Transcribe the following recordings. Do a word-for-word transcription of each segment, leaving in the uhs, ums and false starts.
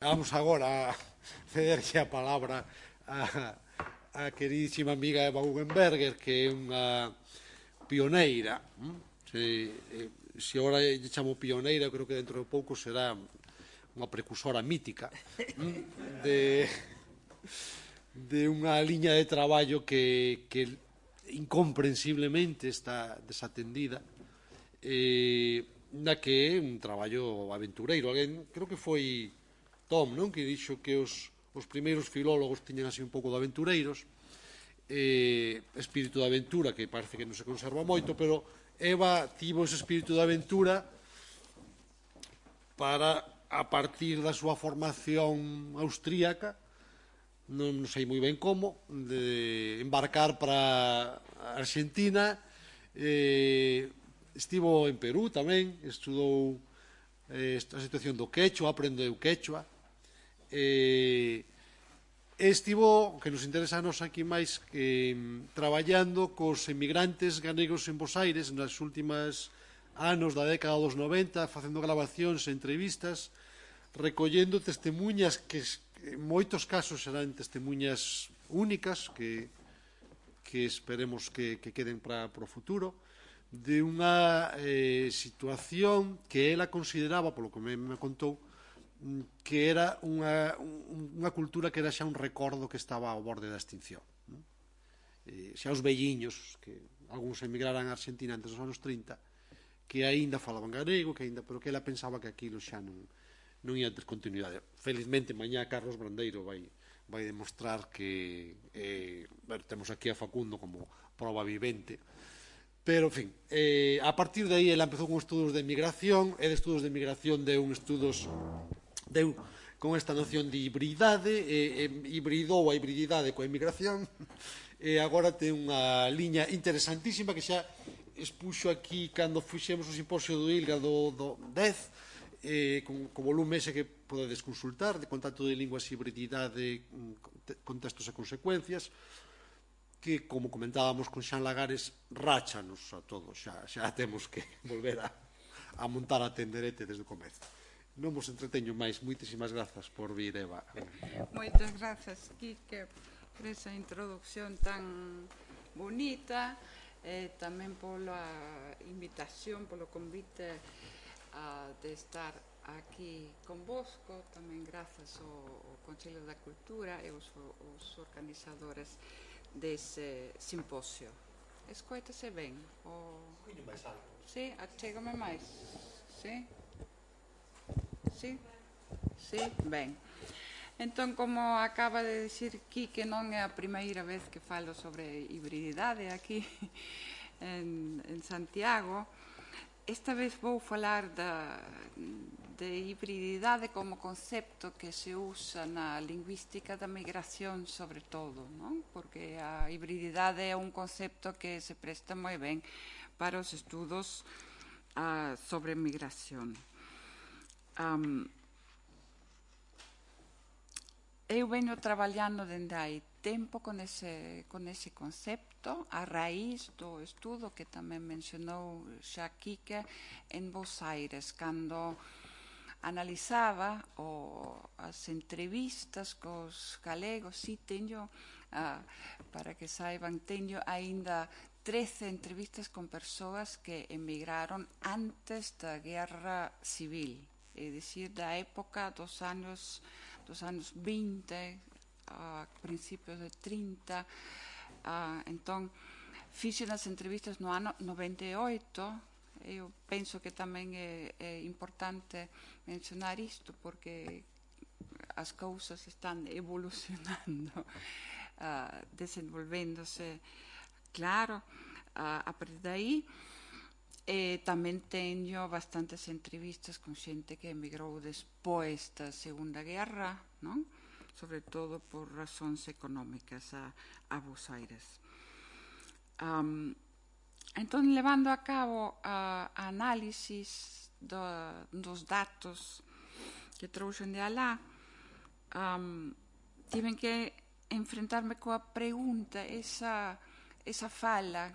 Vamos agora a cederlle a palabra a, a queridísima amiga Eva Guggenberger, que é unha pioneira. hm? Se, eh, se agora lle chamo pioneira, creo que dentro de pouco será unha precursora mítica hm? de, de unha liña de traballo que, que incomprensiblemente está desatendida, eh, na que é un traballo aventureiro. Alguén, creo que foi Tom, non? Que dixo que os, os primeiros filólogos tiñan así un pouco de aventureiros, eh, espírito de aventura que parece que non se conserva moito, pero Eva tivo ese espírito de aventura para, a partir da súa formación austríaca, non sei moi ben como, de embarcar para a Argentina. eh, estivo en Perú tamén, estudou eh, a situación do quechua, aprendeu quechua, e estivo, que nos interesa a nos aquí máis, que traballando cos emigrantes galegos en Bos Aires nas últimas anos da década dos noventa, facendo grabacións e entrevistas, recollendo testemunhas que en moitos casos serán testemunhas únicas que, que esperemos que, que queden para, para o futuro, de unha eh, situación que ela consideraba, polo que me, me contou, que era unha, unha cultura que era xa un recordo que estaba ao borde da extinción. Non? E xa os velliños, que algúns emigraran a Argentina antes dos anos trinta, que aínda falaban galego, que aínda, pero que ela pensaba que aquilo xa non, non ia ter continuidade. Felizmente, mañá Carlos Brandeiro vai, vai demostrar que eh, bueno, temos aquí a Facundo como prova vivente. Pero, en fin, eh, a partir de aí ela empezou con estudos de migración, e de estudos de migración deu un estudos deu con esta noción de hibridade, e, e hibridou a hibrididade coa emigración, e agora ten unha liña interesantísima que xa expuxo aquí cando fuxemos o simposio do ILGA do, do dez, eh, con, con volume ese que podedes consultar, de contacto de linguas, hibrididade, contextos e consecuencias, que, como comentábamos con Xan Lagares, ráchanos a todos, xa, xa temos que volver a, a montar a tenderete desde o comezo. Non vos entreteño máis. Moitísimas grazas por vir, Eva. Moitas grazas, Quique, por esa introducción tan bonita, e tamén pola invitación, polo convite uh, de estar aquí convosco. Tamén grazas ao, ao Consello da Cultura e os, os organizadores dese simposio. Escoítase ben? O... Coño máis alto. Sí, achégame máis. Sí? Sí? Sí? Ben. Entón, como acaba de dicir Quique, non é a primeira vez que falo sobre hibrididade aquí en, en Santiago. Esta vez vou falar da, de hibrididade como concepto que se usa na lingüística da migración, sobre todo, non? Porque a hibrididade é un concepto que se presta moi ben para os estudos uh, sobre migración. Um, eu veño traballando dende hai tempo con ese, con ese concepto, a raíz do estudo que tamén mencionou xa Quique en Bos Aires, cando analizaba o, as entrevistas cos galegos. Si, teño, uh, para que saiban, teño aínda trece entrevistas con persoas que emigraron antes da Guerra Civil, é dicir, da época dos anos, dos anos vinte, a principios de trinta. Uh, entón, fixen as entrevistas no ano noventa e oito. Eu penso que tamén é, é importante mencionar isto, porque as cousas están evolucionando, uh, desenvolvéndose, claro, uh, a partir de aí. E tamén teño bastantes entrevistas con xente que emigrou despois da Segunda Guerra, non? Sobre todo por razóns económicas a, a Bos Aires. Um, entón, levando a cabo a, a análisis do, dos datos que trouxen de alá, um, tiven que enfrentarme coa pregunta, esa, esa fala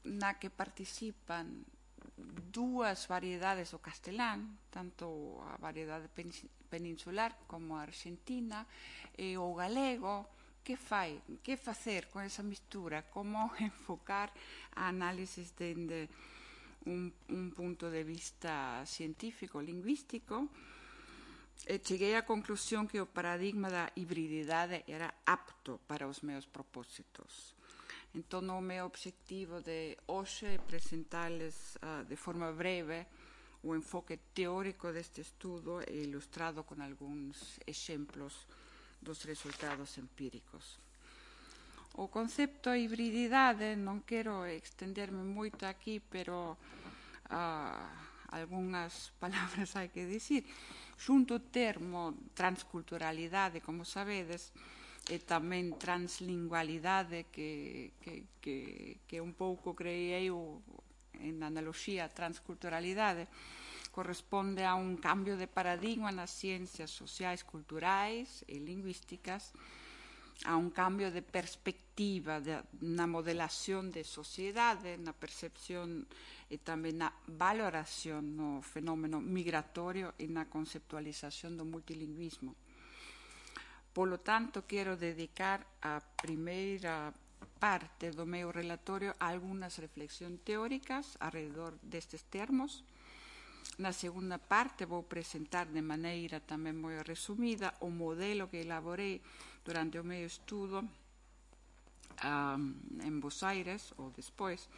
na que participan dúas variedades do castelán, tanto a variedade peninsular como a argentina, e o galego. Que fai, que facer con esa mistura? Como enfocar a análisis dende un, un punto de vista científico, lingüístico? E cheguei á conclusión que o paradigma da hibrididade era apto para os meus propósitos. Entón, o meu obxectivo de hoxe é presentarles uh, de forma breve o enfoque teórico deste estudo e ilustrado con algúns exemplos dos resultados empíricos. O concepto de hibrididade, non quero extenderme moito aquí, pero uh, algunhas palabras hai que dicir. Xunto o termo transculturalidade, como sabedes, e tamén translingualidade, que, que, que, que un pouco creei eu en analoxía a transculturalidade, corresponde a un cambio de paradigma nas ciencias sociais, culturais e lingüísticas, a un cambio de perspectiva de, na modelación de sociedade, na percepción e tamén na valoración no fenómeno migratorio e na conceptualización do multilingüismo. Polo tanto, quero dedicar a primeira parte do meu relatorio a algunhas reflexións teóricas alrededor destes termos. Na segunda parte vou presentar de maneira tamén moi resumida o modelo que elaborei durante o meu estudo um, en Bos Aires, ou despois,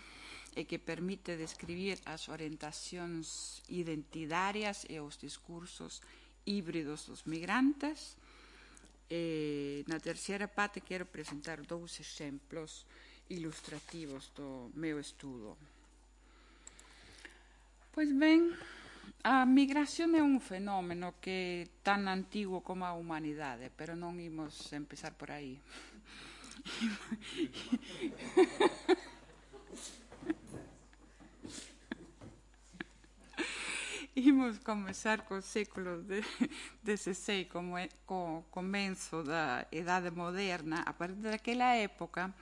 e que permite describir as orientacións identitarias e os discursos híbridos dos migrantes. E na terceira parte quero presentar dous exemplos ilustrativos do meu estudo. Pois ben, a migración é un fenómeno que é tan antigo como a humanidade, pero non imos empezar por aí. Imos comezar co século dezasseis, como é, co comenzo da Edade Moderna. A partir daquela época,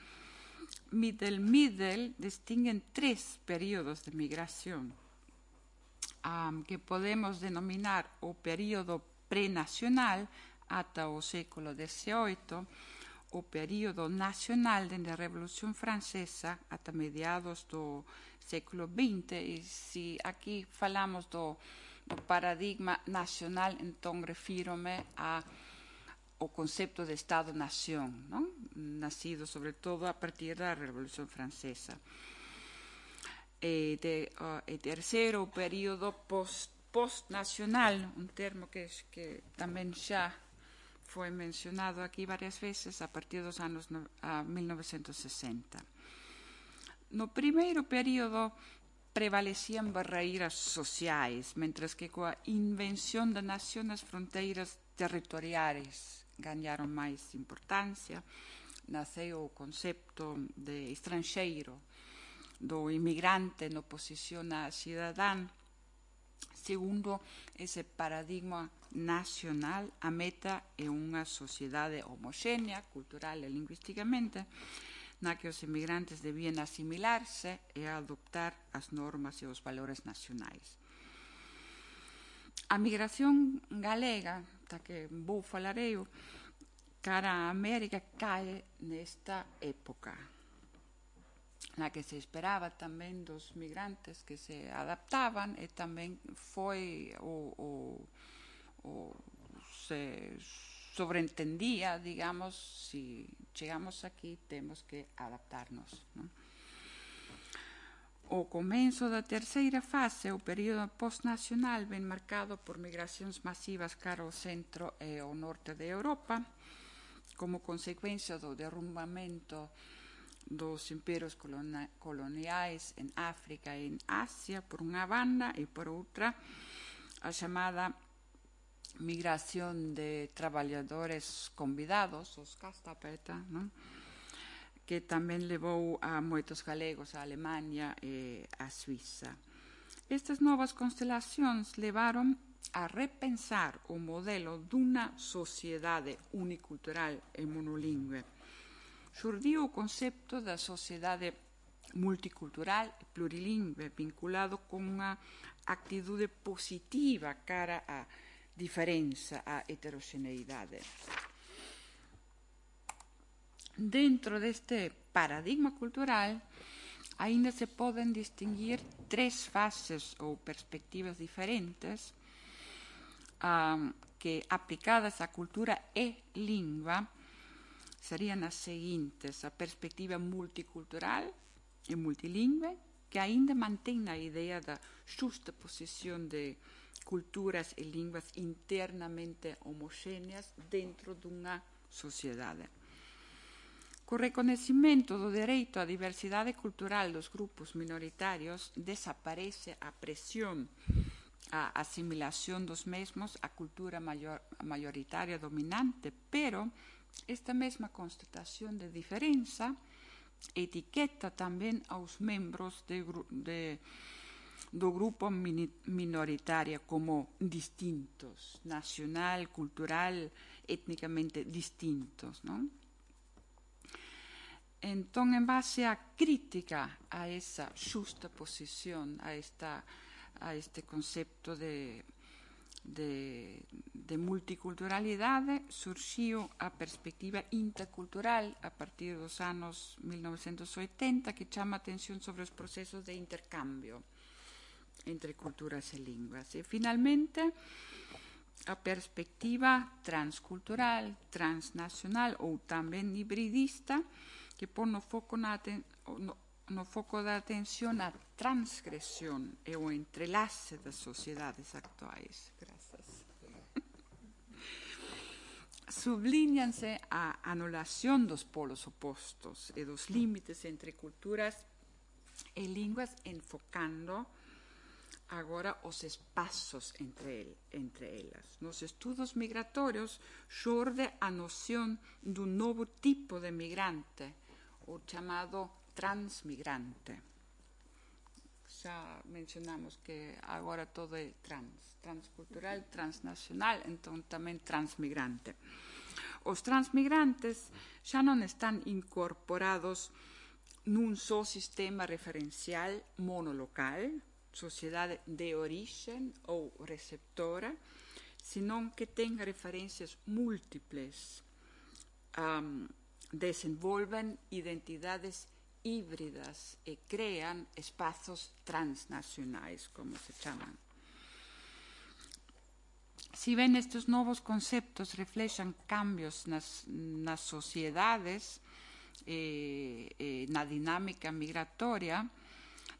Middle Middle distinguen tres períodos de migración, um, que podemos denominar o período prenacional ata o século dezaoito, o período nacional dende a Revolución Francesa ata mediados do século vinte, e se aquí falamos do, do paradigma nacional, entón refírome a o concepto de Estado-nación, non? Nacido sobre todo a partir da Revolución Francesa. E, de, uh, e terceiro, o período post, post-nacional, un termo que, que tamén xa foi mencionado aquí varias veces a partir dos anos no, a mil novecentos sesenta. No primeiro período prevalecían barreiras sociais, mentres que coa invención da nación as fronteiras territoriais gañaron máis importancia. Naceu o concepto de estranxeiro, do inmigrante en oposición a cidadán. Segundo ese paradigma nacional, a meta é unha sociedade homoxénea, cultural e lingüísticamente, na que os inmigrantes debían asimilarse e adoptar as normas e os valores nacionais. A migración galega, da que vou falar eu, cara a América, cae nesta época, na que se esperaba tamén dos migrantes que se adaptaban, e tamén foi o, o, o se sobreentendía, digamos, si chegamos aquí temos que adaptarnos, non? O comenzo da terceira fase, o período postnacional, ben marcado por migracións masivas cara ao centro e ao norte de Europa, como consecuencia do derrumbamento dos imperios coloniais en África e en Asia, por unha banda, e por outra, a chamada migración de traballadores convidados, os Gastarbeiter, non? Que tamén levou a moitos galegos a Alemania e a Suiza. Estas novas constelacións levaron a repensar o modelo dunha sociedade unicultural e monolingüe. Xurdiu o concepto da sociedade multicultural e plurilingüe, vinculado con unha actitude positiva cara á diferenza, á heteroxeneidade. Dentro deste paradigma cultural, aínda se poden distinguir tres fases ou perspectivas diferentes um, que, aplicadas á cultura e lingua, serían as seguintes: a perspectiva multicultural e multilingüe, que aínda mantén a idea da xusta posición de culturas e linguas internamente homoxéneas dentro dunha sociedade. Co reconhecimento do dereito á diversidade cultural dos grupos minoritarios, desaparece a presión á asimilación dos mesmos á cultura maior, maioritaria dominante, pero esta mesma constatación de diferenza etiqueta tamén aos membros de, de, do grupo minoritario como distintos, nacional, cultural, étnicamente distintos, non? Entón, en base á crítica a esa xusta posición, a, esta, a este concepto de, de, de multiculturalidade, surxiu a perspectiva intercultural a partir dos anos mil novecentos oitenta, que chama a atención sobre os procesos de intercambio entre culturas e linguas. E, finalmente, a perspectiva transcultural, transnacional ou tamén hibridista, que pon no foco, na no, no foco da atención a transgresión e o entrelace das sociedades actuais. Grazas. Sublíñanse a anulación dos polos opostos e dos límites entre culturas e linguas, enfocando agora os espazos entre, el, entre elas. Nos estudos migratorios xorde a noción dun novo tipo de migrante, o chamado transmigrante. Xa mencionamos que agora todo é trans, transcultural, transnacional, entón tamén transmigrante. Os transmigrantes xa non están incorporados nun só sistema referencial monolocal, sociedade de orixen ou receptora, senón que ten referencias múltiples, um, desenvolven identidades híbridas e crean espazos transnacionais, como se chaman. Si ben estes novos conceptos reflexan cambios nas, nas sociedades e, e na dinámica migratoria,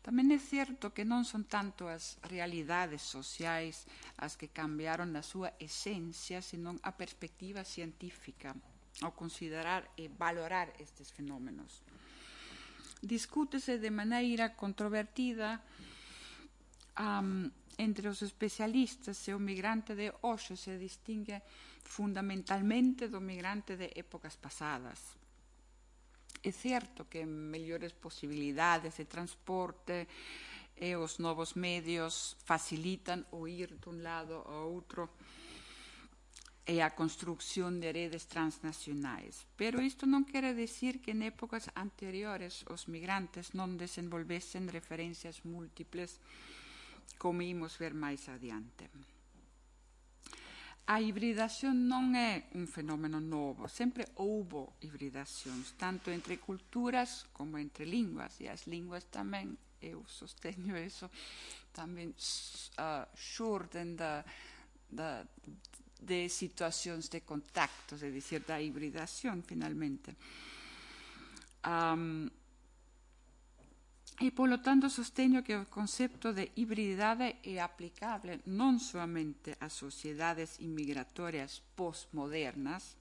tamén é certo que non son tanto as realidades sociais as que cambiaron na súa esencia, senón a perspectiva científica ao considerar e valorar estes fenómenos. Discútese de maneira controvertida um, entre os especialistas se o migrante de hoxe se distingue fundamentalmente do migrante de épocas pasadas. É certo que mellores posibilidades de transporte e os novos medios facilitan o ir dun lado ao outro e a construcción de redes transnacionais. Pero isto non quere decir que en épocas anteriores os migrantes non desenvolvesen referencias múltiples, como imos ver máis adiante. A hibridación non é un fenómeno novo, sempre houbo hibridacións, tanto entre culturas como entre linguas, e as linguas tamén, eu sosteño eso, tamén uh, xurden da, da de situacións de contactos, é dicir, da hibridación, finalmente. Um, e, polo tanto, sosteño que o concepto de hibridade é aplicable non soamente ás sociedades inmigratorias postmodernas,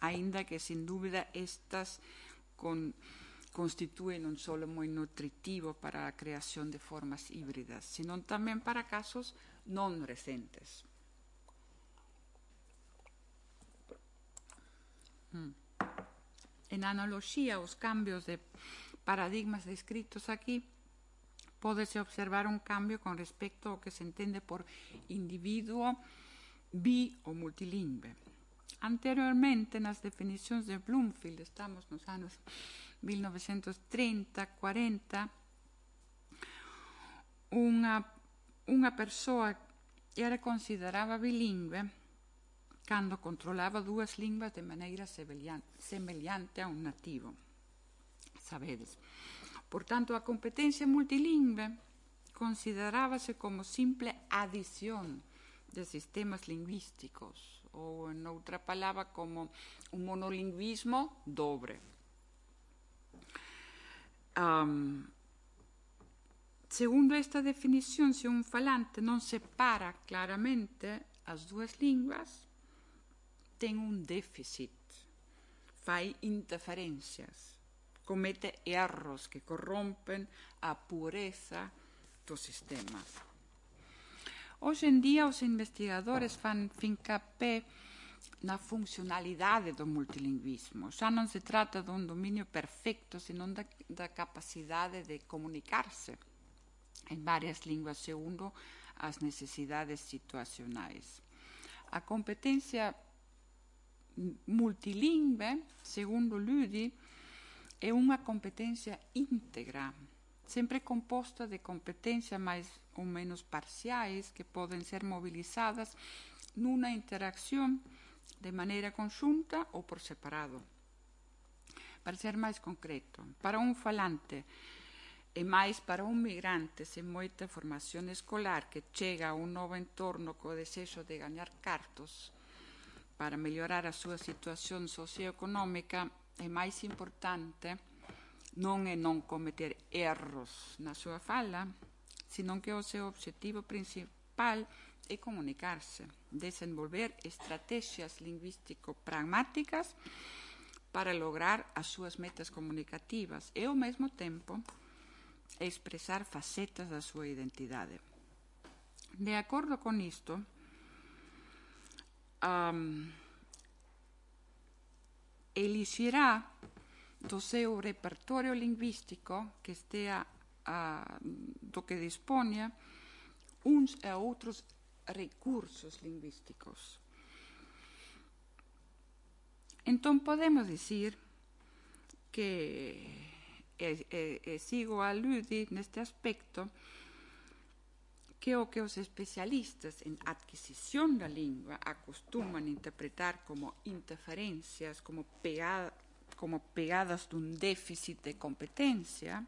aínda que, sin dúbida, estas con, constitúen un solo moi nutritivo para a creación de formas híbridas, senón tamén para casos non recentes. En analoxía aos cambios de paradigmas descritos aquí, pódese observar un cambio con respecto ao que se entende por individuo bi ou multilingüe. Anteriormente, nas definicións de Bloomfield, estamos nos anos mil novecientos trinta, quarenta, unha, unha persoa era considerada bilingüe cando controlaba dúas linguas de maneira semellante a un nativo. Sabedes. Por tanto, a competencia multilingüe considerábase como simple adición de sistemas lingüísticos, ou, en outra palabra, como un monolingüismo dobre. Um, segundo esta definición, se un falante non separa claramente as dúas linguas, ten un déficit, fai interferencias, comete erros que corrompen a pureza do sistema. Hoxe en día, os investigadores fan fincapé na funcionalidade do multilingüismo. Xa non se trata dun dominio perfecto, senón da, da capacidade de comunicarse en varias linguas segundo as necesidades situacionais. A competencia multilingüe, segundo Lüdi, é unha competencia íntegra, sempre composta de competencias máis ou menos parciais que poden ser mobilizadas nunha interacción de maneira conxunta ou por separado. Para ser máis concreto, para un falante e máis para un migrante sen moita formación escolar que chega a un novo entorno co desexo de gañar cartos para mellorar a súa situación socioeconómica, é máis importante non é non cometer erros na súa fala, senón que o seu obxectivo principal é comunicarse, desenvolver estrategias lingüístico-pragmáticas para lograr as súas metas comunicativas e, ao mesmo tempo, expresar facetas da súa identidade. De acordo con isto, um, elixirá do seu repertorio lingüístico que estea uh, do que dispoña uns e outros recursos lingüísticos. Entón podemos dicir que e, e, e sigo a Lüdi neste aspecto que o que os especialistas en adquisición da lingua acostuman interpretar como interferencias, como, pegada, como pegadas dun déficit de competencia,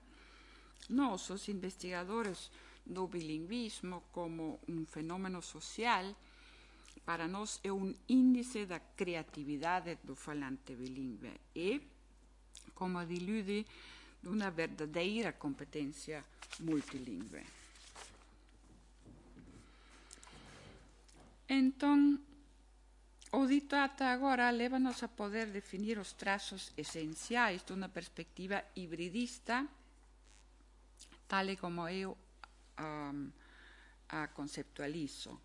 nós, os investigadores do bilingüismo como un fenómeno social, para nós é un índice da creatividade do falante bilingüe e, como di Lüdi, dunha verdadeira competencia multilingüe. Entón, o dito ata agora lévanos a poder definir os trazos esenciais dunha perspectiva hibridista, tal e como eu um, a conceptualizo.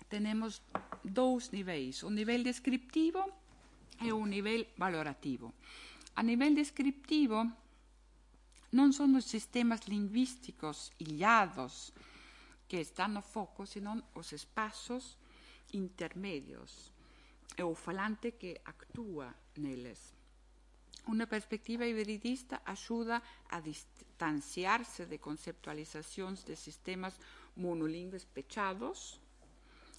Tenemos dous niveis, un nivel descriptivo e un nivel valorativo. A nivel descriptivo, non son os sistemas lingüísticos illados que están no foco, senón os espazos intermedios e o falante que actúa neles. Unha perspectiva hibridista axuda a distanciarse de conceptualizacións de sistemas monolingües pechados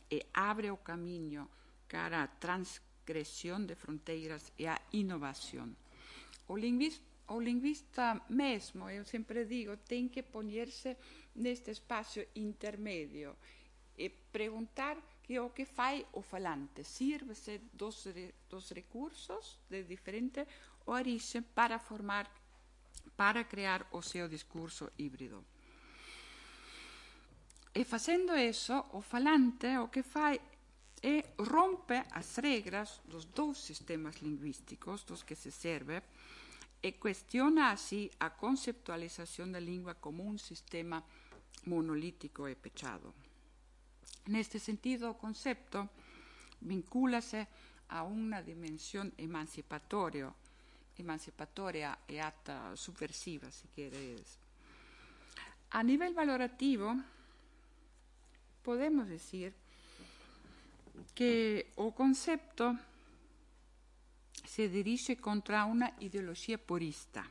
e abre o camiño cara a transgresión de fronteiras e a innovación. O lingüista, o lingüista mesmo, eu sempre digo, ten que poñerse neste espacio intermedio e preguntar que o que fai o falante. Sírvese dos, dos recursos de diferente orixe para formar, para crear o seu discurso híbrido. E facendo eso, o falante o que fai é rompe as regras dos dous sistemas lingüísticos dos que se serve e cuestiona así a conceptualización da lingua como un sistema monolítico e pechado. Neste sentido, o concepto vincúlase a unha dimensión emancipatoria, emancipatoria e ata subversiva, se queres. A nivel valorativo, podemos decir que o concepto se dirige contra uma ideologia purista.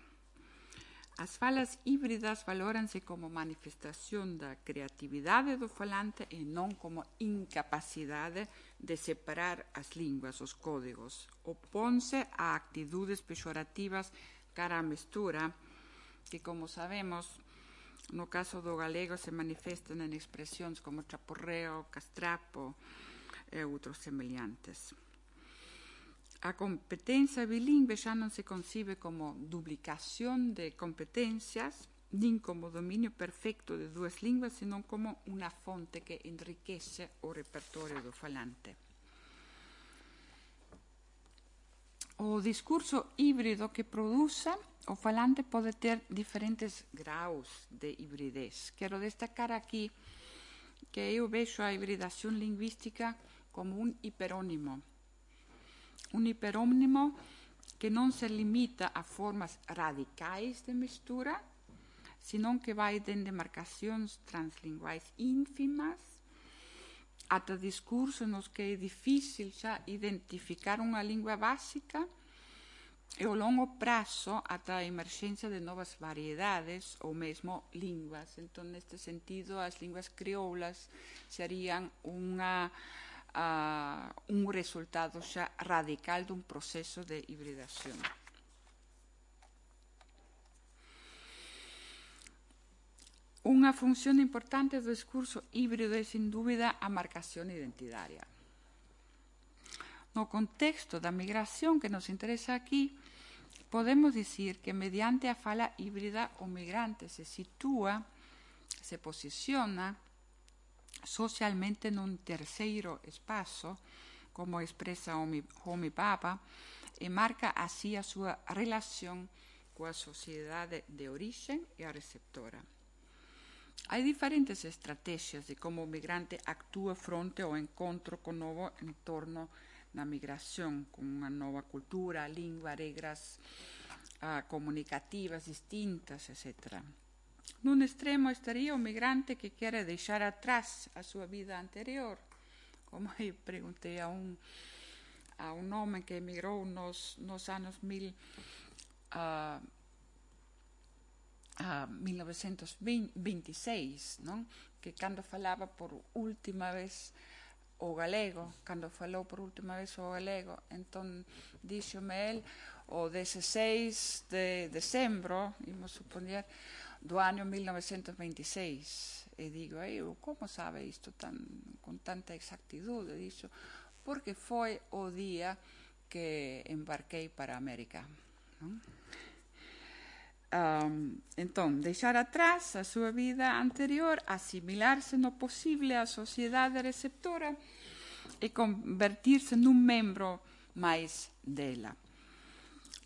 As falas híbridas valóranse como manifestación da creatividade do falante e non como incapacidade de separar as linguas, os códigos. Oponse a actitudes pejorativas cara a mestura, que, como sabemos, no caso do galego se manifestan en expresións como chaporreo, castrapo e outros semelhantes. A competencia bilingüe xa non se concibe como duplicación de competencias, nin como dominio perfecto de dúas linguas, senón como unha fonte que enriquece o repertorio do falante. O discurso híbrido que produce o falante pode ter diferentes graus de hibridez. Quero destacar aquí que eu vexo a hibridación lingüística como un hiperónimo. Un hiperónimo que non se limita a formas radicais de mestura, senón que vai dende marcacións translinguais ínfimas ata discursos nos que é difícil xa identificar unha lingua básica e ao longo prazo ata a emerxencia de novas variedades ou mesmo linguas. Entón, neste sentido, as linguas crioulas serían unha Uh, un resultado xa radical dun proceso de hibridación. Unha función importante do discurso híbrido é, sin dúbida, a marcación identitaria. No contexto da migración que nos interesa aquí, podemos dicir que mediante a fala híbrida o migrante se sitúa, se posiciona socialmente nun terceiro espazo, como expresa Homi Bhabha, e marca así a súa relación coa sociedade de orixe e a receptora. Hai diferentes estrategias de como o migrante actúa fronte ao encontro con novo entorno na migración, con unha nova cultura, lingua, regras uh, comunicativas distintas, etcétera. Nun extremo estaría o migrante que quere deixar atrás a súa vida anterior, como eu preguntei a un, a un home que emigrou nos, nos anos mil, uh, uh, mil novecentos veintiséis, non? Que cando falaba por última vez o galego, cando falou por última vez o galego, entón díxome el o dezesseis de decembro, imos supoñer, do ano mil novecentos veintiséis. E digo, eu, como sabe isto tan, con tanta exactitude? Dixo, porque foi o día que embarquei para a América. Non? Um, entón, deixar atrás a súa vida anterior, asimilarse no posible á sociedade receptora e convertirse nun membro máis dela.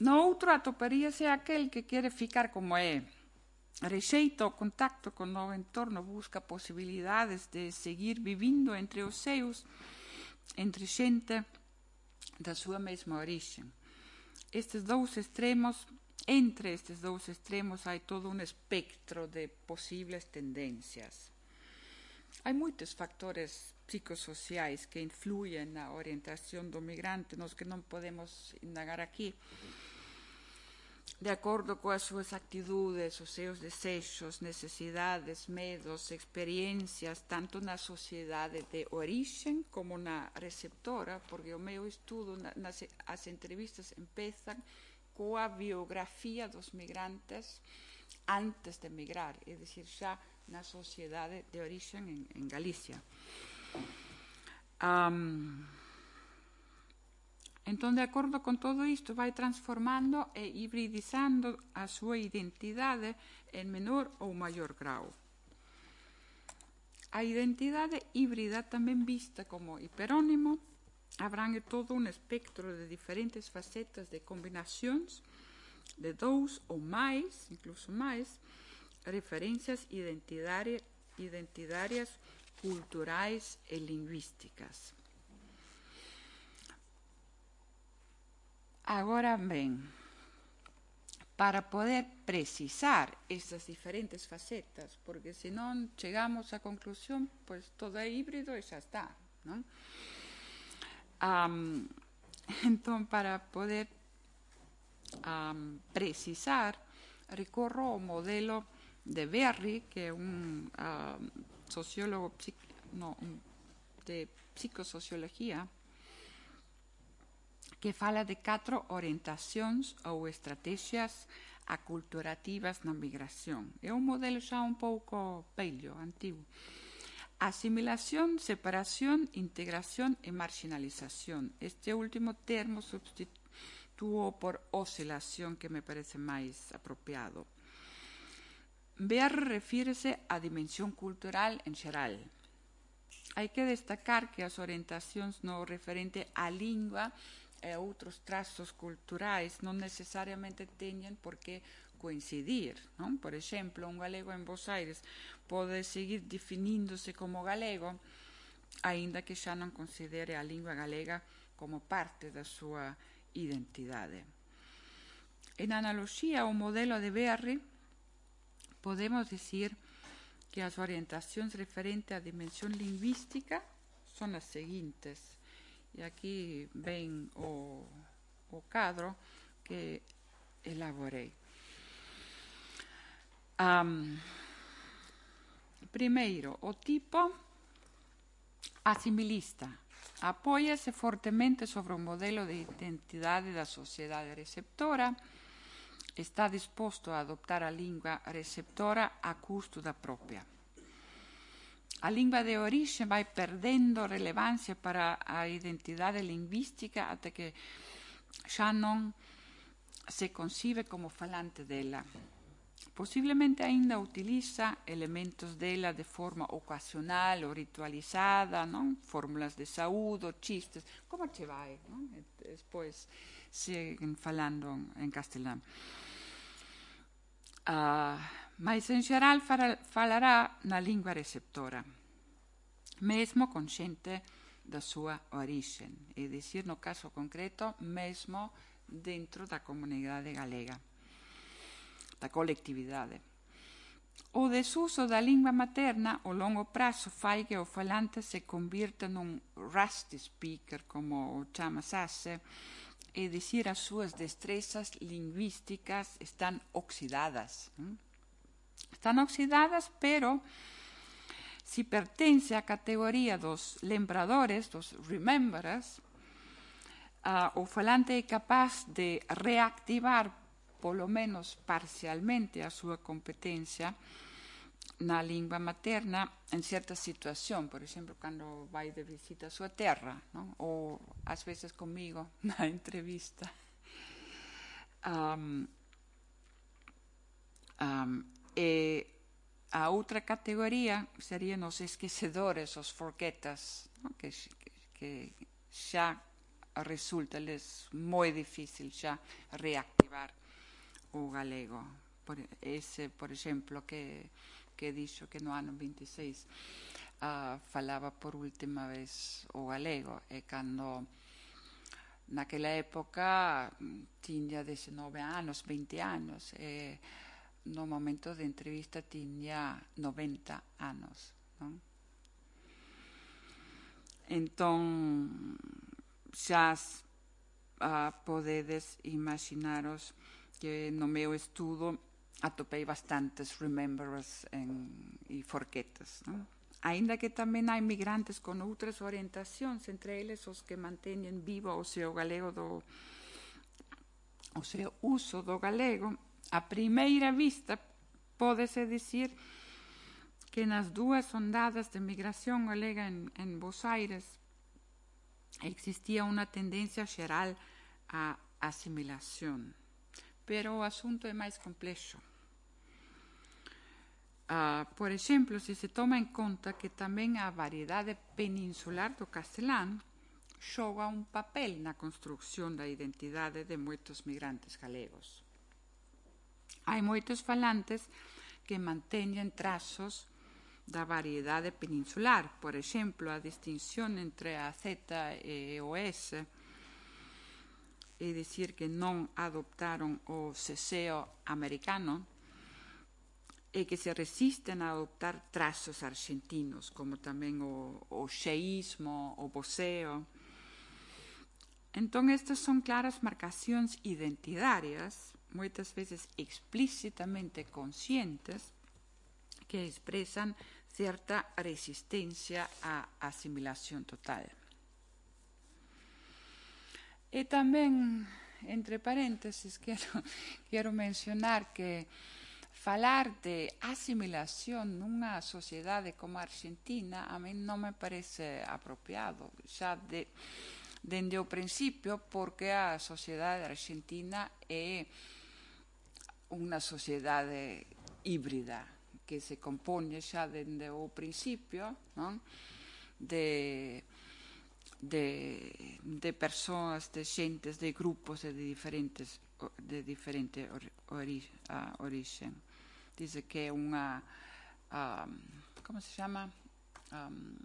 No outro atoparíase aquel que quere ficar como é, rexeita o contacto con o novo entorno, busca posibilidades de seguir vivindo entre os seus, entre xente da súa mesma orixe. Estes dous extremos, entre estes dous extremos, hai todo un espectro de posibles tendencias. Hai moitos factores psicosociais que influyen na orientación do migrante, nos que non podemos indagar aquí, de acordo coas súas actitudes, os seus desexos, necesidades, medos, experiencias, tanto na sociedade de orixen como na receptora, porque o meu estudo, nas, as entrevistas empezan coa biografía dos migrantes antes de migrar, é dicir, xa na sociedade de orixen en, en Galicia. Um, Entón, de acordo con todo isto, vai transformando e hibridizando a súa identidade en menor ou maior grau. A identidade híbrida, tamén vista como hiperónimo, abrangue todo un espectro de diferentes facetas de combinacións de dous ou máis, incluso máis, referencias identitarias, identitarias, culturais e lingüísticas. Agora ben, para poder precisar estas diferentes facetas, porque senón chegamos á conclusión, pois todo é híbrido e xa está, non? Um, entón, para poder um, precisar, ricorro ao modelo de Berry, que é un uh, sociólogo no, de psicosociologia, que fala de catro orientacións ou estrategias aculturativas na migración. É un modelo xa un pouco velho, antigo. Asimilación, separación, integración e marginalización. Este último termo substitúo por oscilación, que me parece máis apropiado. Ver refírese á dimensión cultural en xeral. Hai que destacar que as orientacións no referente á lingua e outros trazos culturais non necesariamente teñen por que coincidir, non? Por exemplo, un galego en Bos Aires pode seguir definíndose como galego, aínda que xa non considere a lingua galega como parte da súa identidade. En analoxía ao modelo de Berry, podemos dicir que as orientacións referente á dimensión lingüística son as seguintes. E aquí ven o, o cadro que elaborei. Um, primeiro, o tipo asimilista apóiase fortemente sobre o modelo de identidade da sociedade receptora, está disposto a adoptar a lingua receptora a custo da propia. A lingua de orixe vai perdendo relevancia para a identidade lingüística até que xa non se concibe como falante dela. Posiblemente aínda utiliza elementos dela de forma ocasional ou ritualizada, non? Fórmulas de saúdo, chistes, como che vai? Non? E despois seguen falando en castelán. Uh, mas en xeral falará na lingua receptora, mesmo consciente da súa orixe, é dicir, no caso concreto, mesmo dentro da comunidade galega, da colectividade. O desuso da lingua materna ao longo prazo fai que o falante se convirta nun rusty speaker, como o chama Sasse, é dicir, as súas destrezas lingüísticas están oxidadas. Están oxidadas, pero si pertence á categoría dos lembradores, dos rememberers, uh, o falante é capaz de reactivar polo menos parcialmente a súa competencia na lingua materna en certa situación, por exemplo, cando vai de visita a súa terra, non? Ou ás veces comigo na entrevista. Um, um, e a outra categoría serían os esquecedores, os forgetas, non? Que, que xa resulta les moi difícil xa reactivar o galego. Por ese, por exemplo, que, que dixo que no ano vinte e seis uh, falaba por última vez o galego, e cando naquela época tiña dezenove anos, vinte anos, e no momento de entrevista tiña noventa anos, non? Entón, xa uh, podedes imaginaros que no meu estudo atopei bastantes rememberers en, e forquetas, non? Aínda que tamén hai migrantes con outras orientacións, entre eles os que manteñen vivo o seu galego do o seu uso do galego, a primeira vista pódese dicir que nas dúas ondadas de migración galega en, en Bos Aires existía unha tendencia xeral á asimilación. Pero o asunto é máis complexo. Uh, por exemplo, se se toma en conta que tamén a variedade peninsular do castelán xoga un papel na construcción da identidade de moitos migrantes galegos. Hai moitos falantes que manteñen trazos da variedade peninsular, por exemplo, a distinción entre a Z e o S, é dicir, que non adoptaron o ceseo americano e que se resisten a adoptar trazos argentinos, como tamén o, o xeísmo, o voceo. Então, estas são claras marcações identitárias, muitas vezes explicitamente conscientes, que expressam certa resistência à assimilação total. E também, entre parênteses, quero, quero mencionar que falar de assimilação numa sociedade como a Argentina a mim não me parece apropriado, já de, desde o princípio, porque a sociedade argentina é uma sociedade híbrida, que se compone já desde o princípio, não? de De, de pessoas, de gentes, de grupos de diferentes de diferente ori, uh, origem. Diz que é uma, um, como se chama? Um,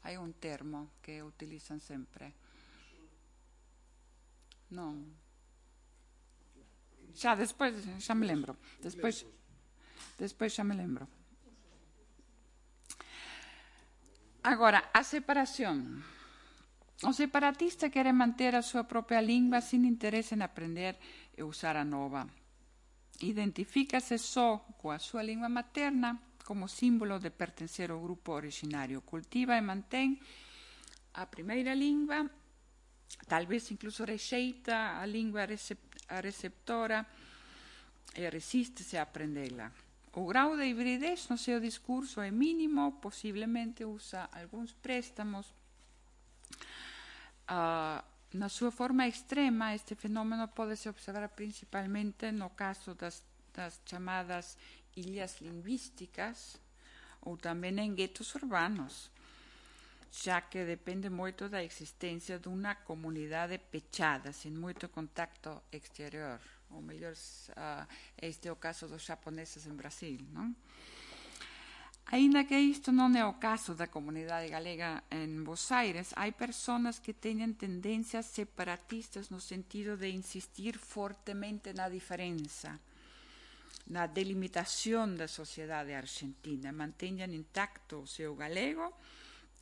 há um termo que utilizam sempre. Não. Já depois, já me lembro. Depois, depois já me lembro. Agora, a separação. O separatista quer manter a sua própria língua sem interesse em aprender e usar a nova. Identifica-se só com a sua língua materna como símbolo de pertencer ao grupo originário. Cultiva e mantém a primeira língua, talvez incluso rejeita a língua receptora e resiste-se a aprendê-la. O grau de hibridez no seu discurso é mínimo, possivelmente usa alguns préstamos. Uh, na sua forma extrema, este fenômeno pode-se observar principalmente no caso das, das chamadas ilhas linguísticas ou também em guetos urbanos, já que depende muito da existência de uma comunidade fechada, sem muito contato exterior. Ou melhor, uh, este é o caso dos japoneses em Brasil, não? Ainda que isto não é o caso da comunidade galega em Buenos Aires, há pessoas que têm tendências separatistas no sentido de insistir fortemente na diferença, na delimitação da sociedade argentina, mantenham intacto o seu galego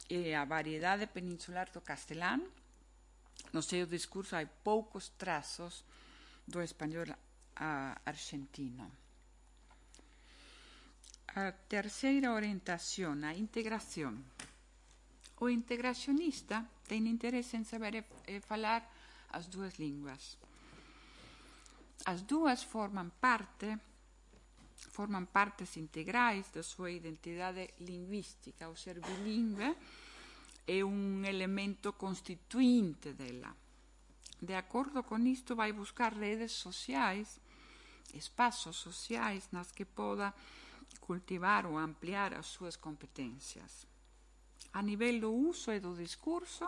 e a variedade peninsular do castelhano. No seu discurso há poucos traços do espanhol uh, argentino. A terceira orientação, a integração. O integracionista tem interesse em saber e, e falar as duas línguas. As duas formam parte, formam partes integrais da sua identidade linguística. O ser bilíngue é um elemento constituinte dela. De acordo com isto, vai buscar redes sociais, espaços sociais nas que possa cultivar ou ampliar as suas competências. A nível do uso e do discurso,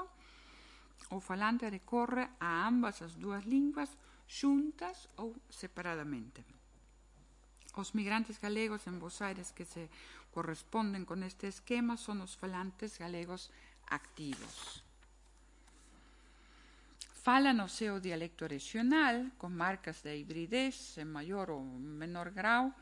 o falante recorre a ambas as duas línguas, juntas ou separadamente. Os migrantes galegos en Buenos Aires que se corresponden con este esquema son os falantes galegos activos. Falan o seu dialecto regional, con marcas de hibridez en maior ou menor grau,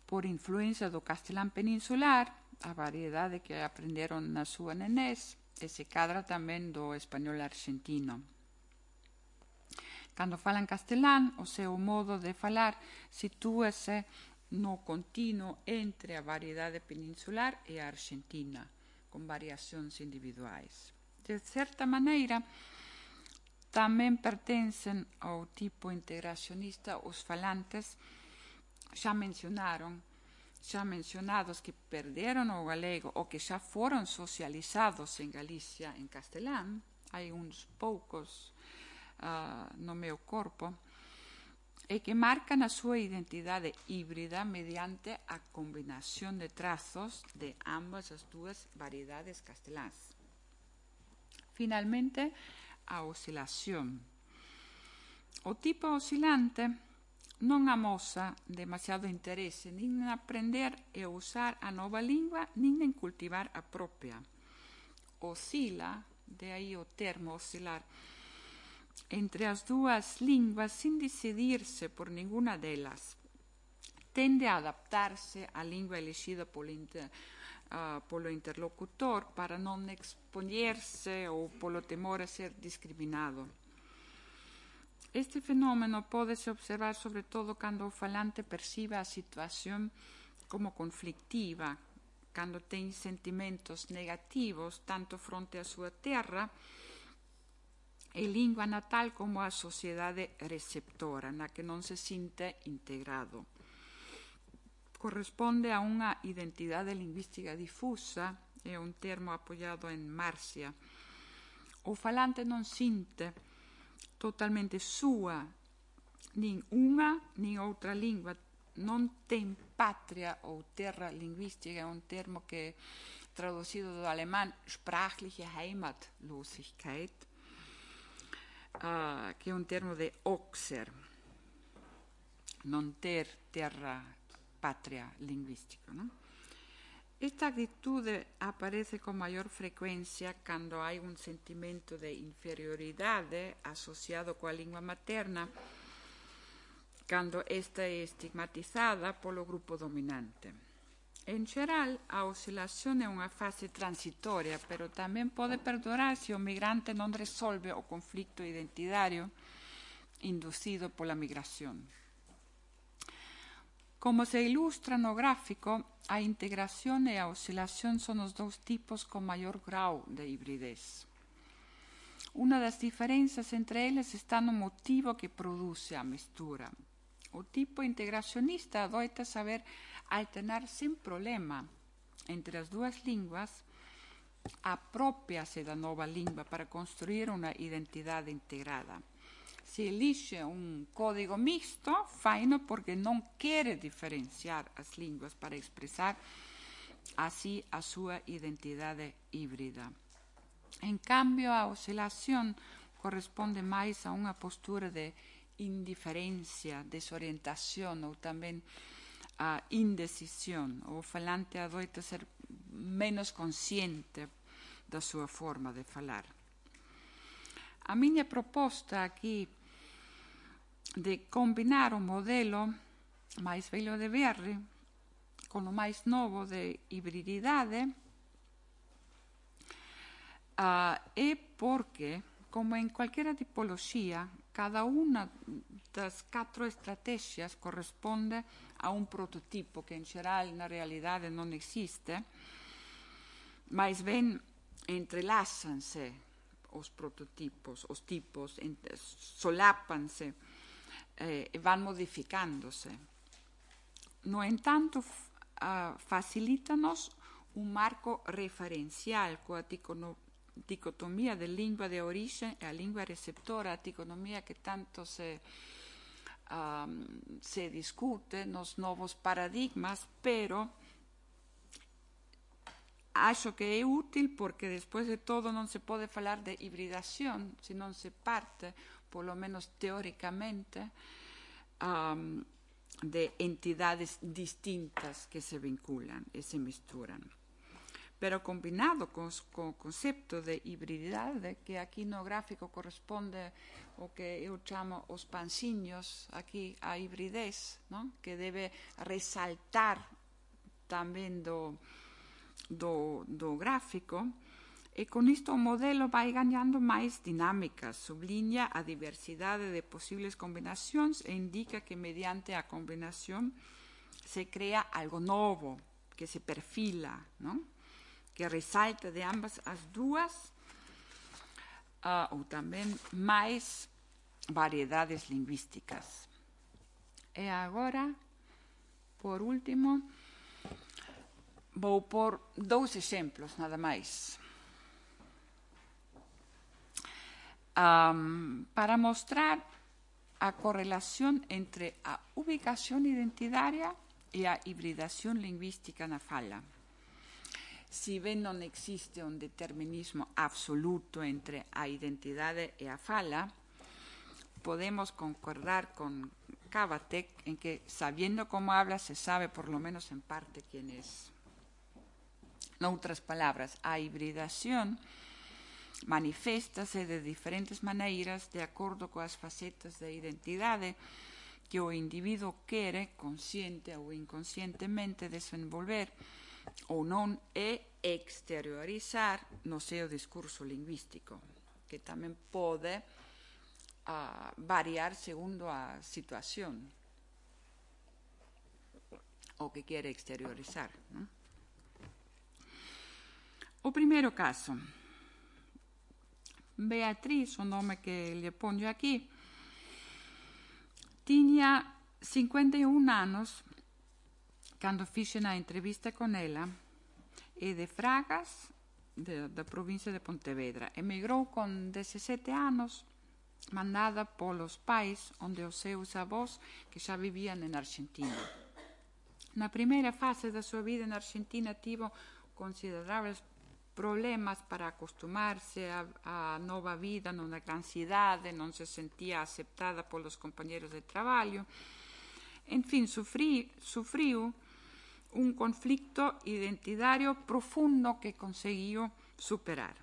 por influencia do castelán peninsular, a variedade que aprenderon na súa nenés, e se cadra tamén do español argentino. Cando falan castelán, o seu modo de falar sitúase no continuo entre a variedade peninsular e a argentina, con variacións individuais. De certa maneira, tamén pertencen ao tipo integracionista os falantes xa mencionaron, xa mencionados que perderon o galego ou que xa foron socializados en Galicia en castelán. Hai uns poucos uh, no meu corpo, e que marcan a súa identidade híbrida mediante a combinación de trazos de ambas as dúas variedades castelás. Finalmente, a oscilación. O tipo oscilante non amosa demasiado interese nin en aprender e usar a nova lingua, nin en cultivar a propia. Oscila, de aí o termo oscilar, entre as dúas linguas sin decidirse por ninguna delas. Tende a adaptarse á lingua elixida polo, inter, uh, polo interlocutor para non expoñerse ou polo temor a ser discriminado. Este fenómeno pódese observar sobre todo cando o falante percibe a situación como conflictiva, cando ten sentimentos negativos tanto fronte á súa terra e lingua natal como a sociedade receptora, na que non se sinte integrado. Corresponde a unha identidade lingüística difusa, é un termo apoiado en Marcia. O falante non sinte totalmente súa nin unha nin outra lingua, non ten patria ou terra lingüística, é un termo que traducido do alemán sprachliche Heimatlosigkeit, uh, que é un termo de Oxer, non ter terra patria lingüística, non? Esta actitude aparece con maior frecuencia cando hai un sentimento de inferioridade asociado coa lingua materna, cando esta é estigmatizada polo grupo dominante. En xeral, a oscilación é unha fase transitoria, pero tamén pode perdurar se o migrante non resolve o conflicto identitario inducido pola migración. Como se ilustra no gráfico, a integración e a oscilación son os dous tipos con maior grau de hibridez. Unha das diferenzas entre eles está no motivo que produce a mestura. O tipo integracionista adoita saber alternar sen problema entre as dúas linguas, apropiase da nova lingua para construir unha identidade integrada. Se elixe un código mixto, faino porque non quere diferenciar as linguas para expresar así a súa identidade híbrida. En cambio, a oscilación corresponde máis a unha postura de indiferencia, desorientación ou tamén a indecisión. O falante adoita ser menos consciente da súa forma de falar. A miña proposta aquí de combinar o modelo máis velho de Verri con o máis novo de hibrididade uh, é porque, como en cualquiera tipoloxía, cada unha das catro estrategias corresponde a un prototipo que en xeral na realidade non existe, máis ben entrelázanse os prototipos, os tipos, solápanse eh, e van modificándose. No entanto, uh, facilítanos un marco referencial coa dicotomía de lingua de orixe e a lingua receptora, a dicotomía que tanto se, um, se discute nos novos paradigmas, pero acho que é útil porque, despois de todo, non se pode falar de hibridación se non se parte, polo menos teóricamente, um, de entidades distintas que se vinculan e se misturan. Pero combinado con o concepto de hibrididade, que aquí no gráfico corresponde o que eu chamo os panciños, aquí a hibridez, non? Que debe resaltar tamén do Do, do gráfico, e con isto o modelo vai gañando máis dinámicas, subliña a diversidade de posibles combinacións e indica que mediante a combinación se crea algo novo, que se perfila, non? Que resalta de ambas as dúas uh, ou tamén máis variedades lingüísticas. E agora, por último, vou por dous exemplos, nada máis. Um, para mostrar a correlación entre a ubicación identitaria e a hibridación lingüística na fala. Si ben non existe un determinismo absoluto entre a identidade e a fala, podemos concordar con Cavatek en que, sabiendo como habla, se sabe por lo menos en parte quién es. Noutras palabras, a hibridación maniféstase de diferentes maneiras de acordo coas facetas de identidade que o individuo quere, consciente ou inconscientemente, desenvolver ou non é exteriorizar no seu discurso lingüístico, que tamén pode uh, variar segundo a situación o que quere exteriorizar. ¿No? O primeiro caso, Beatriz, o nome que lle pongo aquí, tiña cincuenta e un anos cando fixen a entrevista con ela, e de Fragas, de, da provincia de Pontevedra. Emigrou con dezasete anos, mandada polos pais, onde os seus avós que xa vivían en Argentina. Na primeira fase da súa vida en Argentina tivo considerables problemas para acostumarse a, a nova vida nunha gran cidade, non se sentía aceptada polos compañeros de traballo. En fin, sufrí, sufriu un conflicto identitario profundo que conseguiu superar.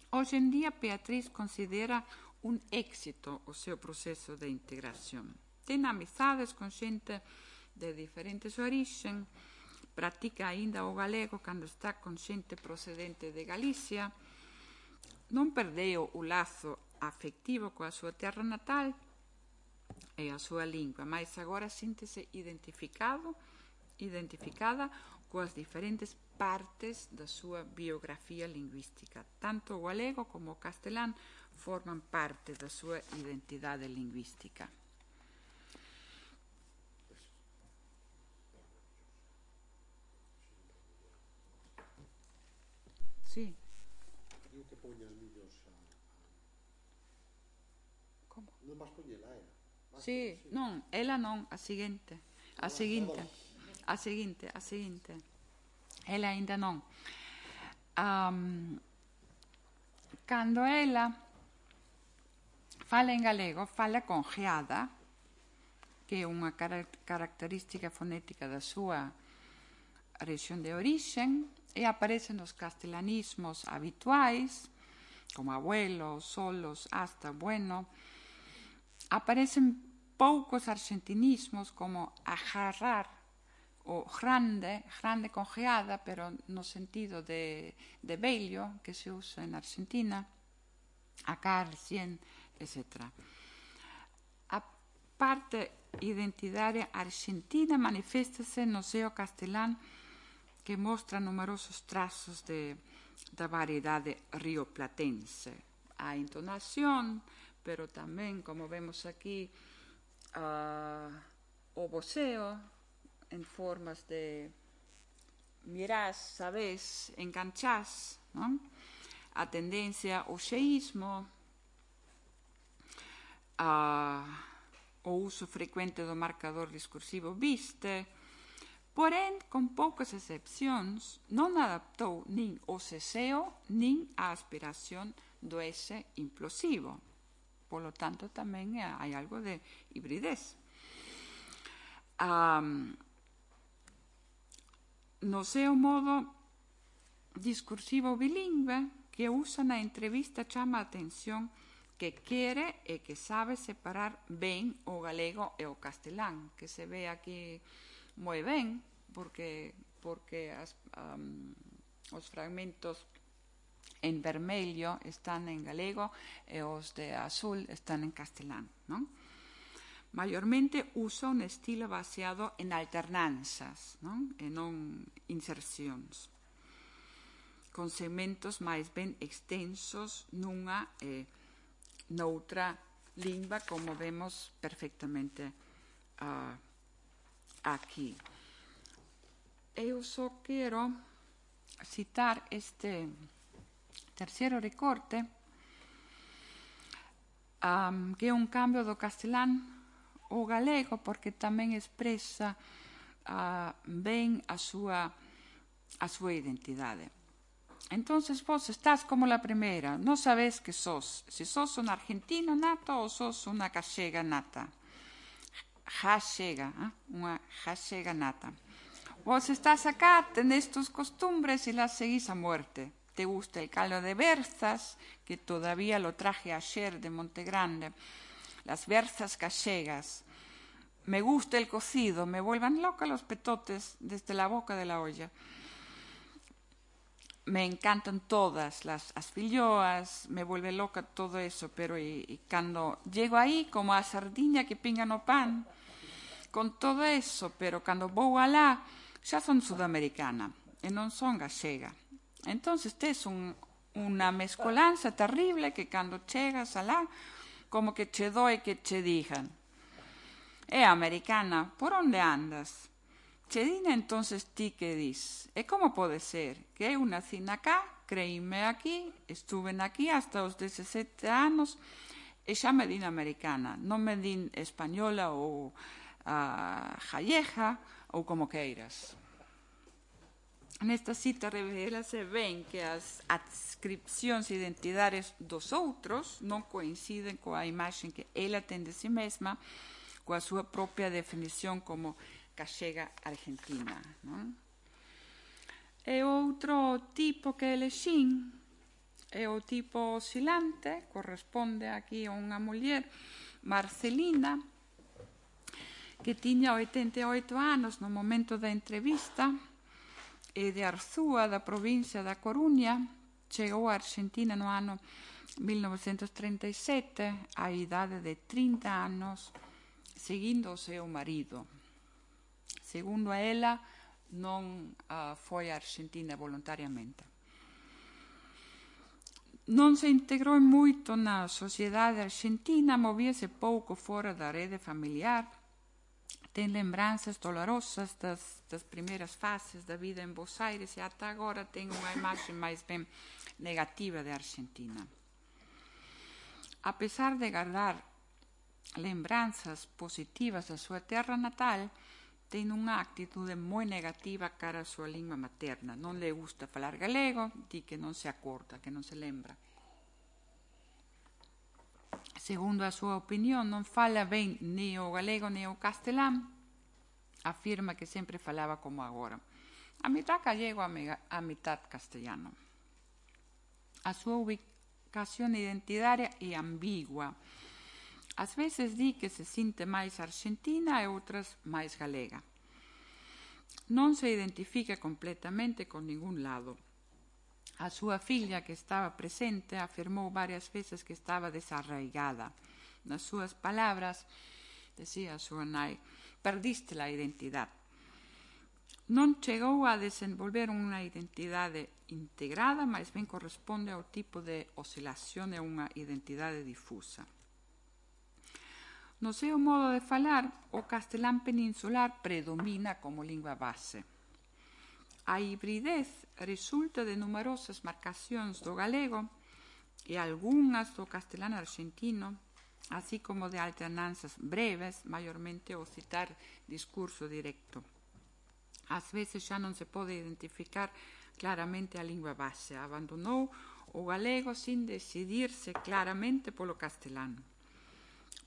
Hoxe en día, Beatriz considera un éxito o seu proceso de integración. Ten amizades con xente de diferentes orixen, practica aínda o galego cando está con xente procedente de Galicia, non perdeu o lazo afectivo coa súa terra natal e a súa lingua, mas agora síntese identificado, identificada coas diferentes partes da súa biografía lingüística. Tanto o galego como o castelán forman parte da súa identidade lingüística. Sí. Digo que poña os vídeos a... Como? Non vas poñela, eh? Sí, non, ela non, a seguinte. A seguinte. A seguinte, a seguinte. Ela aínda non. Um, cando ela fala en galego, fala con geada, que é unha car característica fonética da súa rexión de orixen, e aparecen os castelanismos habituais, como abuelo, solos, hasta, bueno. Aparecen poucos argentinismos como agarrar o grande, grande con geada, pero no sentido de, de vello, que se usa en Argentina, acar, cien, etcétera. A parte identitaria argentina maniféstase no seo castelán, que mostra numerosos trazos de, da variedade rioplatense. A entonación, pero tamén, como vemos aquí, uh, o voceo en formas de mirás, sabés, enganchás, non? A tendencia ao xeísmo, uh, o uso frecuente do marcador discursivo viste, porén, con poucas excepcións, non adaptou nin o ceseo nin a aspiración do ese implosivo. Polo tanto, tamén hai algo de hibridez. Um, no seu modo discursivo bilingüe que usa na entrevista chama a atención que quere e que sabe separar ben o galego e o castelán, que se ve aquí moi ben, porque, porque as, um, os fragmentos en vermello están en galego e os de azul están en castelán, non? Maiormente usa un estilo baseado en alternanzas, non? E non insercións, con segmentos máis ben extensos nunha e noutra lingua, como vemos perfectamente uh, aquí. Eu só quero citar este terceiro recorte, um, que é un cambio do castelán ao galego, porque tamén expresa uh, ben a súa, a súa identidade. Entonces vos estás como la primeira, non sabés que sos, se sos un argentino nato ou sos unha gallega nata. Gallega, eh? unha gallega nata. Vos estás acá, tenés tus costumbres y las seguís a muerte. Te gusta el caldo de berzas, que todavía lo traje ayer de Montegrande. Las berzas gallegas, me gusta el cocido, me vuelvan loca los petotes desde la boca de la olla. Me encantan todas las asfilloas, me vuelve loca todo eso, pero y, y cuando llego ahí como a Sardinia que pingan o pan, con todo eso, pero cuando vou alá, ya son sudamericana e non son gallega. Entonces, es un, una mezcolanza terrible que cuando chegas alá, como que che doy que che digan, é americana, por onde andas? Che dina entonces ti que dis, e como pode ser? Que eu nací acá, creíme aquí, estuve aquí hasta os dezasete anos, e xa me din americana, non me din española ou a gallega ou como queiras. Nesta cita revelase ben que as adscripcións identidades dos outros non coinciden coa imaxe que ela ten de si mesma, coa súa propia definición como gallega argentina. Non? E outro tipo que elexín é o tipo oscilante, corresponde aquí a unha muller, Marcelina, que tiña oitenta e oito anos no momento da entrevista, e de Arzúa, da provincia da Coruña, chegou a Argentina no ano mil novecentos treinta e sete, á idade de trinta anos, seguindo o seu marido. Segundo a ela, non uh, foi a Argentina voluntariamente. Non se integrou moito na sociedade argentina, movíase pouco fora da rede familiar, ten lembranzas dolorosas das, das primeiras fases da vida en Buenos Aires e ata agora ten unha imaxe máis ben negativa de Argentina. A pesar de guardar lembranzas positivas da súa terra natal, ten unha actitude moi negativa cara a súa lingua materna. Non le gusta falar galego, di que non se acorda, que non se lembra. Segundo a súa opinión, non fala ben ni o galego ni o castelán, afirma que sempre falaba como agora. A mitad gallego, a mitad castellano. A súa ubicación identitaria é ambigua. Ás veces di que se sinte máis argentina e outras máis galega. Non se identifica completamente con ningún lado. A súa filla, que estaba presente, afirmou varias veces que estaba desarraigada. Nas súas palabras, decía a súa nai, perdiste a identidade. Non chegou a desenvolver unha identidade integrada, mas ben corresponde ao tipo de oscilación e unha identidade difusa. No seu modo de falar, o castelán peninsular predomina como lingua base. A hibridez resulta de numerosas marcacións do galego e algunhas do castelán argentino, así como de alternanzas breves, maiormente ao citar discurso directo. Ás veces xa non se pode identificar claramente a lingua base. Abandonou o galego sin decidirse claramente polo castelán.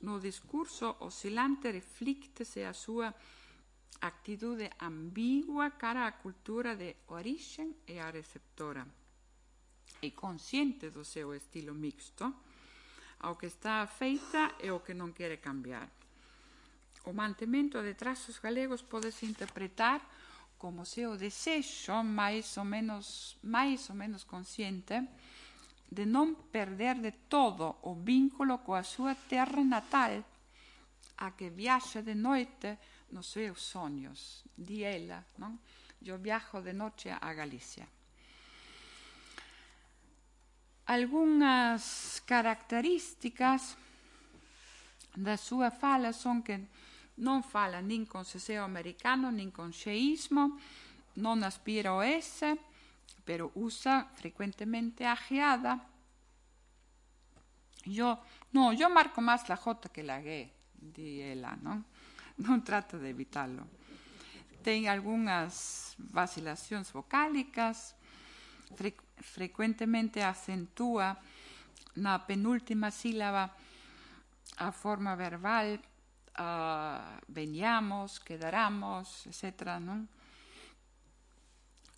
No discurso oscilante reflíctese a súa actitude ambigua cara á cultura de orixen e a receptora. É consciente do seu estilo mixto, ao que está afeita e o que non quere cambiar. O mantemento de trazos galegos podese interpretar como seu desexo máis ou menos, máis ou menos consciente de non perder de todo o vínculo coa súa terra natal, a que viaxa de noite nos seus sonhos, di ela, non? Eu viajo de noche a Galicia. Algunhas características da súa fala son que non fala nin con seseo americano, nin con xeísmo, non aspira ao S, pero usa frecuentemente a geada. Yo, no, yo marco máis la J que la G, di ela, non? Non trata de evitarlo. Ten algunhas vacilacións vocálicas, fre frecuentemente acentúa na penúltima sílaba a forma verbal, uh, veñamos, quedaramos, etcétera, non?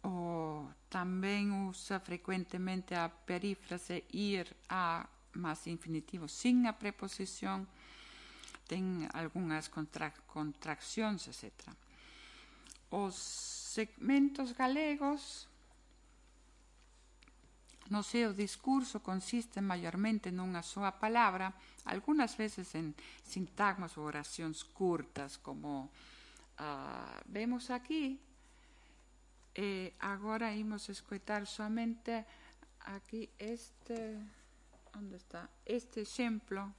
O tamén usa frecuentemente a perífrase ir a máis infinitivo sin a preposición. ten algunhas contra, contraccións, etcétera. Os segmentos galegos no seu discurso consiste maiormente nunha soa palabra, algunhas veces en sintagmas ou oracións curtas, como uh, vemos aquí. E agora imos escoitar somente aquí este, onde está? Este exemplo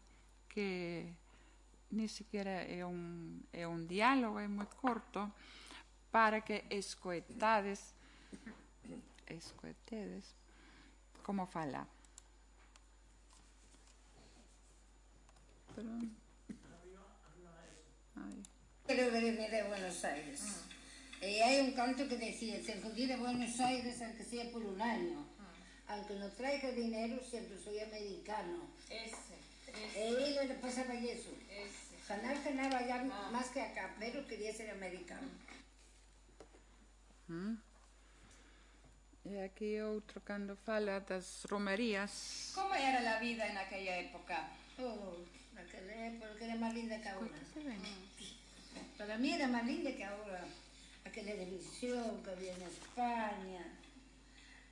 que ni siquiera é un, é un diálogo, é moi corto, para que escoitades, escoitedes, como fala. Perdón. Pero venir de Buenos Aires. Mm. Y hay un canto que decía, se fui de Buenos Aires aunque sea por un año. Mm. Aunque no traiga dinero, siempre soy americano. Ese. ese. Y le pasaba eso. Ese. Jamás ganaba ya ah. más que acá, pero quería ser americano. Mm. E aquí outro cando fala das romerías. Como era a vida en aquella época? Oh, naquela época era máis linda que agora. Mm. Para mí era máis linda que agora. Aquela televisión que había en España,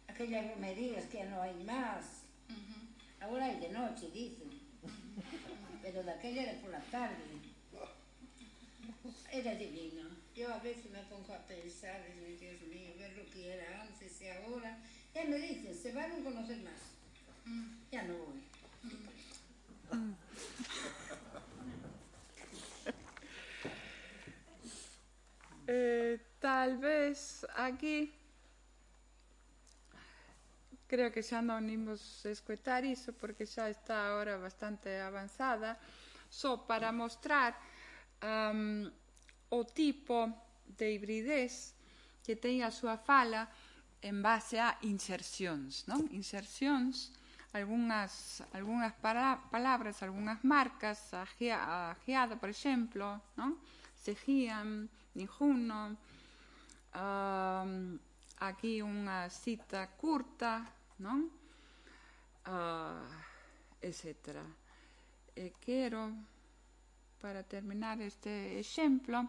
aquellas romerías que ya no hai máis. Uh-huh. Agora hai de noche, dicen. Uh-huh. Pero daquela era por la tarde. Era divino. Yo a veces me pongo a pensar, y Dios mío, ver lo que era antes y ahora. Ya me dicen, se van a conocer más. Mm. Ya no voy. Mm. eh, tal vez aquí, creo que xa non imos escoitar iso porque xa está ahora bastante avanzada, só para mostrar um, o tipo de hibridez que ten a súa fala en base a insercións, non? Insercións, algunhas, algunhas para, palabras, algunhas marcas, a, a geada, por exemplo, non? Seguían, ninguno, um, aquí unha cita curta, non? Uh, etcétera. E quero, para terminar este exemplo,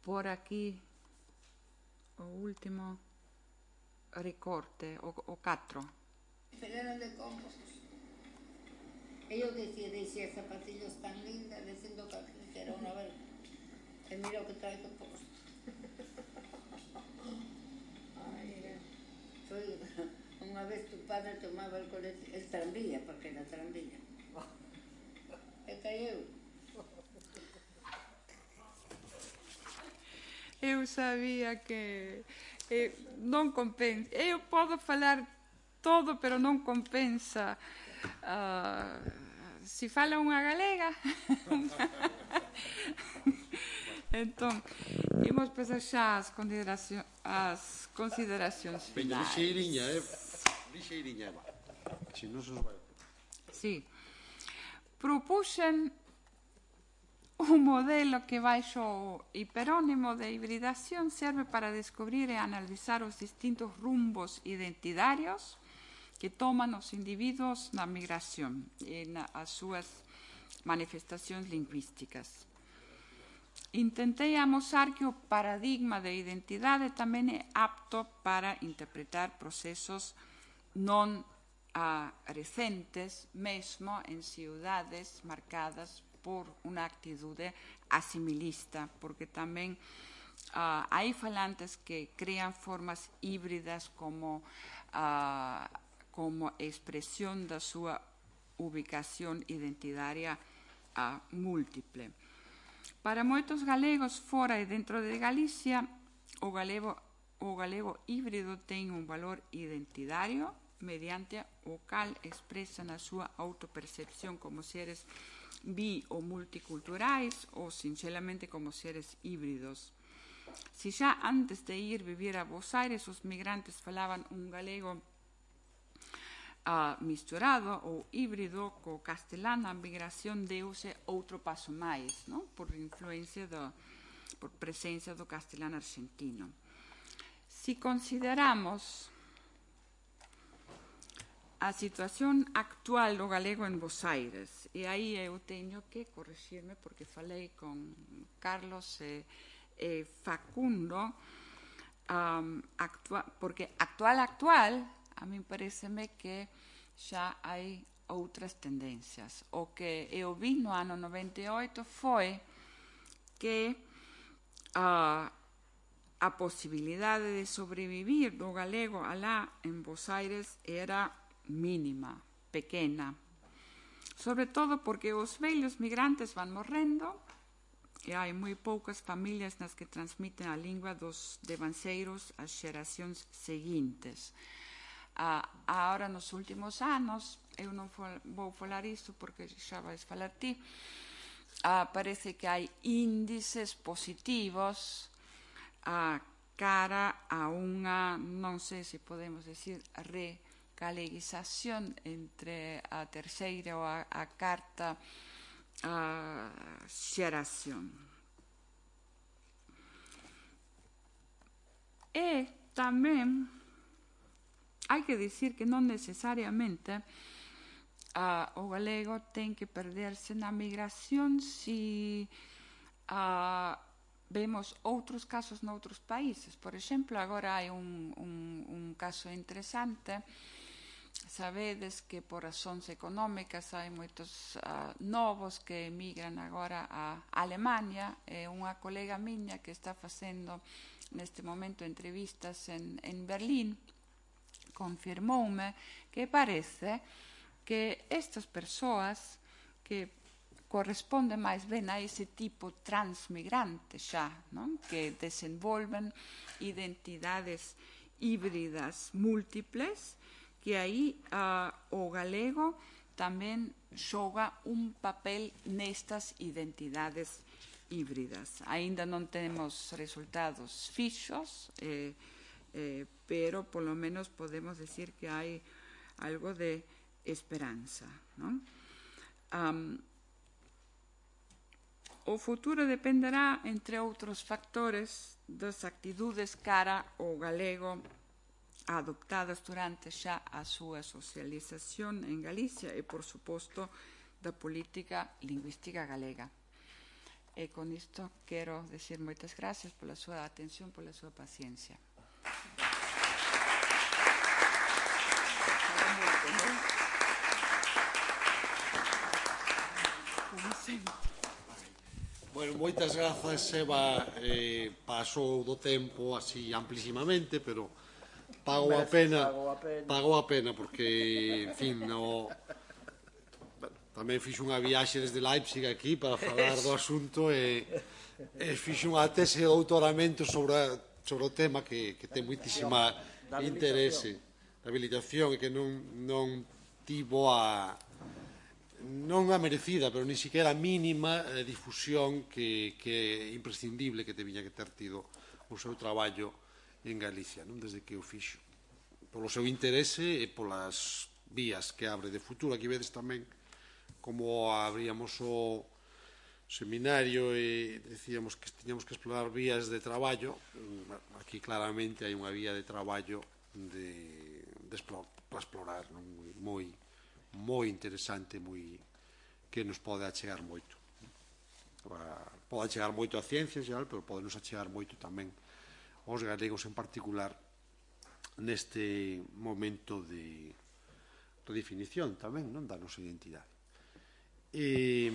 por aquí o último recorte, o, o catro. Pero eran de compost. Ellos decían, decía zapatillas tan lindas, diciendo que era una verga. Y mira lo que trae compost. Ay, soy, una vez tu padre tomaba el, colete, el tranvía, porque era tranvía. E caiu. Eu sabía que eh, non compensa. Eu podo falar todo, pero non compensa. Uh, si fala unha galega. Entón, imos pasar xa as consideracións, as consideracións finais. Lixeiriña, eh? Lixeiriña. Si non se nos vai. Sí. Propuxen un modelo que baixo o hiperónimo de hibridación serve para descubrir e analizar os distintos rumbos identitarios que toman os individuos na migración e nas súas manifestacións lingüísticas. Intentei amosar que o paradigma de identidade tamén é apto para interpretar procesos non a recentes, mesmo en ciudades marcadas por unha actitude asimilista, porque tamén uh, hai falantes que crean formas híbridas como, uh, como expresión da súa ubicación identitaria uh, múltiple. Para moitos galegos fora e dentro de Galicia, o galego, o galego híbrido ten un valor identitario mediante o cal expresa na súa autopercepción como seres bi ou multiculturais ou sinxelamente como seres híbridos. Si xa antes de ir vivir a Bos Aires os migrantes falaban un galego uh, misturado ou híbrido co castelán, a migración deuse outro paso máis, non? Por influencia do, por presencia do castelán argentino. Si consideramos a situación actual do galego en Bos Aires. E aí eu teño que corrixirme porque falei con Carlos e, e Facundo, um, actua, porque actual, actual, a mí pareceme que xa hai outras tendencias. O que eu vi no ano noventa e oito foi que uh, a posibilidade de sobrevivir do galego alá en Bos Aires era mínima, pequena. Sobre todo porque os vellos migrantes van morrendo e hai moi poucas familias nas que transmiten a lingua dos devanceiros ás xeracións seguintes. Ah, agora, nos últimos anos, eu non vou falar isto porque xa vais falar ti, ah, parece que hai índices positivos a cara a unha, non sei se podemos decir, recaleguización entre a terceira ou a, a carta a xeración. E tamén hai que dicir que non necesariamente uh, o galego ten que perderse na migración si uh, vemos outros casos noutros países. Por exemplo, agora hai un, un, un caso interesante. Sabedes que por razóns económicas hai moitos uh, novos que emigran agora a Alemania, e unha colega miña que está facendo neste momento entrevistas en, en Berlín confirmoume que parece que estas persoas que corresponden máis ben a ese tipo transmigrante xa, non? Que desenvolven identidades híbridas múltiples, que aí uh, o galego tamén xoga un papel nestas identidades híbridas. Aínda non temos resultados fixos, eh, Eh, pero polo menos podemos decir que hai algo de esperanza, non? Um, o futuro dependerá, entre outros factores, das actitudes cara ao galego adoptadas durante xa a súa socialización en Galicia e, por suposto, da política lingüística galega. E con isto quero decir moitas gracias pola súa atención, pola súa paciencia. Bueno, moitas grazas, Eva. Eh, pasou do tempo así amplísimamente, pero pagou a pena, pagou a pena porque, en fin, no, tamén fixo unha viaxe desde Leipzig aquí para falar do asunto e, e fixo unha tese de doutoramento sobre, sobre o tema que, que ten moitísima interese da habilitación e que non, non tivo a non a merecida, pero ni siquiera a mínima eh, difusión que, que é imprescindible que te viña que ter tido o seu traballo en Galicia, non? Desde que o fixo, polo seu interese e polas vías que abre de futuro. Aquí vedes tamén como abríamos o seminario e decíamos que tiñamos que explorar vías de traballo. Aquí claramente hai unha vía de traballo de, de explor, para explorar, non? moi moi interesante, moi que nos pode achegar moito. Pode achegar moito a ciencia en xeral, pero pode nos achegar moito tamén aos galegos en particular neste momento de redefinición tamén, non, da nosa identidade. E